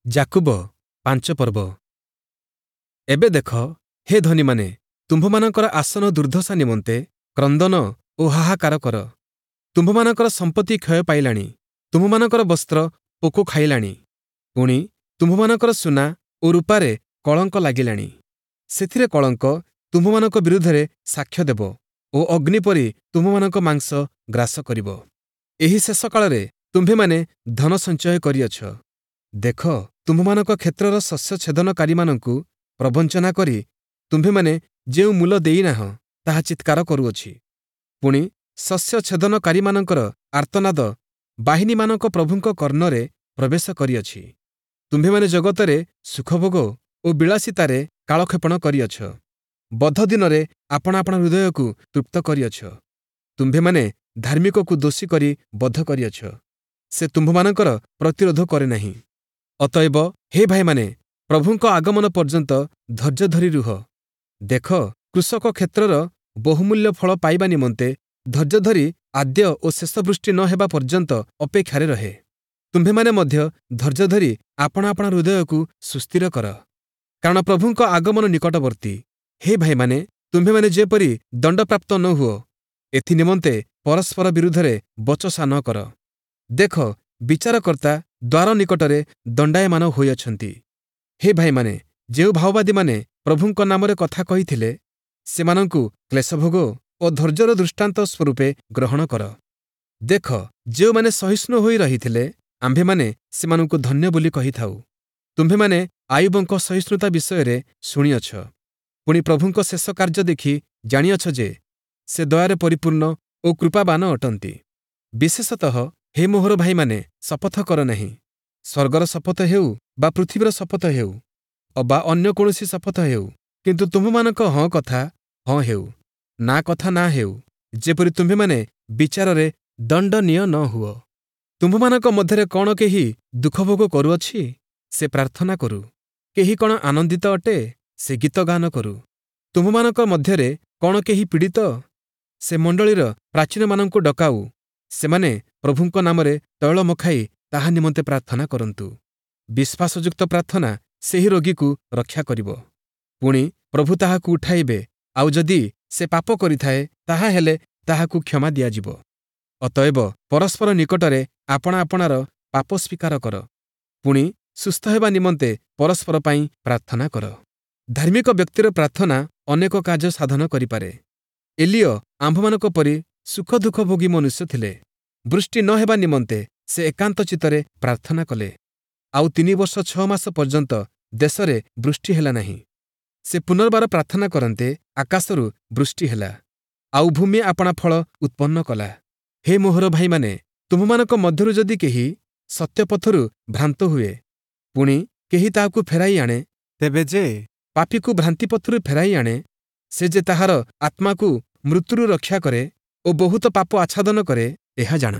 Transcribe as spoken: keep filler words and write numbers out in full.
ଯାକୁବ ପାଞ୍ଚ ପର୍ବ। ଏବେ ଦେଖ, ହେ ଧନୀମାନେ, ତୁମ୍ଭମାନଙ୍କର ଆସନ୍ନ ଦୁର୍ଦ୍ଦଶା ନିମନ୍ତେ କ୍ରନ୍ଦନ ଓ ହାହାକାର କର। ତୁମ୍ଭମାନଙ୍କର ସମ୍ପତ୍ତି କ୍ଷୟ ପାଇଲାଣି, ତୁମ୍ଭମାନଙ୍କର ବସ୍ତ୍ର ପୋକ ଖାଇଲାଣି, ପୁଣି ତୁମ୍ଭମାନଙ୍କର ସୁନା ଓ ରୂପାରେ କଳଙ୍କ ଲାଗିଲାଣି। ସେଥିରେ କଳଙ୍କ ତୁମ୍ଭମାନଙ୍କ ବିରୁଦ୍ଧରେ ସାକ୍ଷ୍ୟ ଦେବ ଓ ଅଗ୍ନି ପରି ତୁମ୍ଭମାନଙ୍କ ମାଂସ ଗ୍ରାସ କରିବ। ଏହି ଶେଷ କାଳରେ ତୁମ୍ଭେମାନେ ଧନ ସଞ୍ଚୟ କରିଅଛ। ଦେଖ, ତୁମ୍ଭମାନଙ୍କ କ୍ଷେତ୍ରର ଶସ୍ୟ ଛେଦନକାରୀମାନଙ୍କୁ ପ୍ରବଞ୍ଚନା କରି ତୁମ୍ଭେମାନେ ଯେଉଁ ମୂଲ ଦେଇନାହଁ, ତାହା ଚିତ୍କାର କରୁଅଛି। ପୁଣି ଶସ୍ୟ ଛେଦନକାରୀମାନଙ୍କର ଆର୍ତ୍ତନାଦ ବାହିନୀମାନଙ୍କ ପ୍ରଭୁଙ୍କ କର୍ଣ୍ଣରେ ପ୍ରବେଶ କରିଅଛି। ତୁମ୍ଭେମାନେ ଜଗତରେ ସୁଖଭୋଗ ଓ ବିଳାସିତାରେ କାଳକ୍ଷେପଣ କରିଅଛ। ବଧ ଦିନରେ ଆପଣା ଆପଣା ହୃଦୟକୁ ତୃପ୍ତ କରିଅଛ। ତୁମ୍ଭେମାନେ ଧାର୍ମିକକୁ ଦୋଷୀ କରି ବଧ କରିଅଛ, ସେ ତୁମ୍ଭମାନଙ୍କର ପ୍ରତିରୋଧ କରେ ନାହିଁ। ଅତଏବ ହେ ଭାଇମାନେ, ପ୍ରଭୁଙ୍କ ଆଗମନ ପର୍ଯ୍ୟନ୍ତ ଧୈର୍ଯ୍ୟ ଧରି ରୁହ। ଦେଖ, କୃଷକ କ୍ଷେତ୍ରର ବହୁମୂଲ୍ୟ ଫଳ ପାଇବା ନିମନ୍ତେ ଧୈର୍ଯ୍ୟ ଧରି ଆଦ୍ୟ ଓ ଶେଷ ବୃଷ୍ଟି ନ ହେବା ପର୍ଯ୍ୟନ୍ତ ଅପେକ୍ଷାରେ ରହେ। ତୁମ୍ଭେମାନେ ମଧ୍ୟ ଧୈର୍ଯ୍ୟ ଧରି ଆପଣା ଆପଣା ହୃଦୟକୁ ସୁସ୍ଥିର କର, କାରଣ ପ୍ରଭୁଙ୍କ ଆଗମନ ନିକଟବର୍ତ୍ତୀ। ହେ ଭାଇମାନେ, ତୁମ୍ଭେମାନେ ଯେପରି ଦଣ୍ଡପ୍ରାପ୍ତ ନ ହୁଅ, ଏଥି ନିମନ୍ତେ ପରସ୍ପର ବିରୁଦ୍ଧରେ ବଚସା ନ କର। ଦେଖ, ବିଚାରକର୍ତ୍ତା ଦ୍ୱାର ନିକଟରେ ଦଣ୍ଡାୟମାନ ହୋଇଅଛନ୍ତି। ହେ ଭାଇମାନେ, ଯେଉଁ ଭାବବାଦୀମାନେ ପ୍ରଭୁଙ୍କ ନାମରେ କଥା କହିଥିଲେ, ସେମାନଙ୍କୁ କ୍ଲେଶଭୋଗ ଓ ଧୈର୍ଯ୍ୟର ଦୃଷ୍ଟାନ୍ତ ସ୍ୱରୂପେ ଗ୍ରହଣ କର। ଦେଖ, ଯେଉଁମାନେ ସହିଷ୍ଣୁ ହୋଇ ରହିଥିଲେ, ଆମ୍ଭେମାନେ ସେମାନଙ୍କୁ ଧନ୍ୟ ବୋଲି କହିଥାଉ। ତୁମ୍ଭେମାନେ ଆୟୁବଙ୍କ ସହିଷ୍ଣୁତା ବିଷୟରେ ଶୁଣିଅଛ, ପୁଣି ପ୍ରଭୁଙ୍କ ଶେଷ କାର୍ଯ୍ୟ ଦେଖି ଜାଣିଅଛ ଯେ ସେ ଦୟାରେ ପରିପୂର୍ଣ୍ଣ ଓ କୃପାବାନ ଅଟନ୍ତି। ବିଶେଷତଃ ହେ ମୋହର ଭାଇମାନେ, ଶପଥ କର ନାହିଁ, ସ୍ୱର୍ଗର ଶପଥ ହେଉ ବା ପୃଥିବୀର ଶପଥ ହେଉ ଅବା ଅନ୍ୟ କୌଣସି ଶପଥ ହେଉ, କିନ୍ତୁ ତୁମ୍ଭମାନଙ୍କ ହଁ କଥା ହଁ ହେଉ, ନା କଥା ନା ହେଉ, ଯେପରି ତୁମ୍ଭେମାନେ ବିଚାରରେ ଦଣ୍ଡନୀୟ ନ ହୁଅ। ତୁମ୍ଭମାନଙ୍କ ମଧ୍ୟରେ କ'ଣ କେହି ଦୁଃଖଭୋଗ କରୁଅଛି? ସେ ପ୍ରାର୍ଥନା କରୁ। କେହି କ'ଣ ଆନନ୍ଦିତ ଅଟେ? ସେ ଗୀତ ଗାନ କରୁ। ତୁମ୍ଭମାନଙ୍କ ମଧ୍ୟରେ କ'ଣ କେହି ପୀଡ଼ିତ? ସେ ମଣ୍ଡଳୀର ପ୍ରାଚୀନମାନଙ୍କୁ ଡକାଉ, ସେମାନେ ପ୍ରଭୁଙ୍କ ନାମରେ ତୈଳ ମଖାଇ ତାହା ନିମନ୍ତେ ପ୍ରାର୍ଥନା କରନ୍ତୁ। ବିଶ୍ୱାସଯୁକ୍ତ ପ୍ରାର୍ଥନା ସେହି ରୋଗୀକୁ ରକ୍ଷା କରିବ, ପୁଣି ପ୍ରଭୁ ତାହାକୁ ଉଠାଇବେ, ଆଉ ଯଦି ସେ ପାପ କରିଥାଏ, ତାହାହେଲେ ତାହାକୁ କ୍ଷମା ଦିଆଯିବ। ଅତଏବ ପରସ୍ପର ନିକଟରେ ଆପଣା ଆପଣାର ପାପ ସ୍ୱୀକାର କର, ପୁଣି ସୁସ୍ଥ ହେବା ନିମନ୍ତେ ପରସ୍ପର ପାଇଁ ପ୍ରାର୍ଥନା କର। ଧାର୍ମିକ ବ୍ୟକ୍ତିର ପ୍ରାର୍ଥନା ଅନେକ କାର୍ଯ୍ୟ ସାଧନ କରିପାରେ। ଏଲିୟ ଆମ୍ଭମାନଙ୍କ ପରି ସୁଖ ଦୁଃଖ ଭୋଗୀ ମନୁଷ୍ୟ ଥିଲେ। ବୃଷ୍ଟି ନ ହେବା ନିମନ୍ତେ ସେ ଏକାନ୍ତ ଚିତ୍ତରେ ପ୍ରାର୍ଥନା କଲେ, ଆଉ ତିନି ବର୍ଷ ଛଅ ମାସ ପର୍ଯ୍ୟନ୍ତ ଦେଶରେ ବୃଷ୍ଟି ହେଲା ନାହିଁ। ସେ ପୁନର୍ବାର ପ୍ରାର୍ଥନା କରନ୍ତେ ଆକାଶରୁ ବୃଷ୍ଟି ହେଲା, ଆଉ ଭୂମି ଆପଣା ଫଳ ଉତ୍ପନ୍ନ କଲା। ହେ ମୋହର ଭାଇମାନେ, ତୁମ୍ଭମାନଙ୍କ ମଧ୍ୟରୁ ଯଦି କେହି ସତ୍ୟପଥରୁ ଭ୍ରାନ୍ତ ହୁଏ, ପୁଣି କେହି ତାହାକୁ ଫେରାଇ ଆଣେ, ତେବେ ଯେ ପାପୀକୁ ଭ୍ରାନ୍ତିପଥରୁ ଫେରାଇ ଆଣେ, ସେ ଯେ ତାହାର ଆତ୍ମାକୁ ମୃତ୍ୟୁରୁ ରକ୍ଷା କରେ ଓ ବହୁତ ପାପ ଆଚ୍ଛାଦନ କରେ, ଏହା ଜାଣ।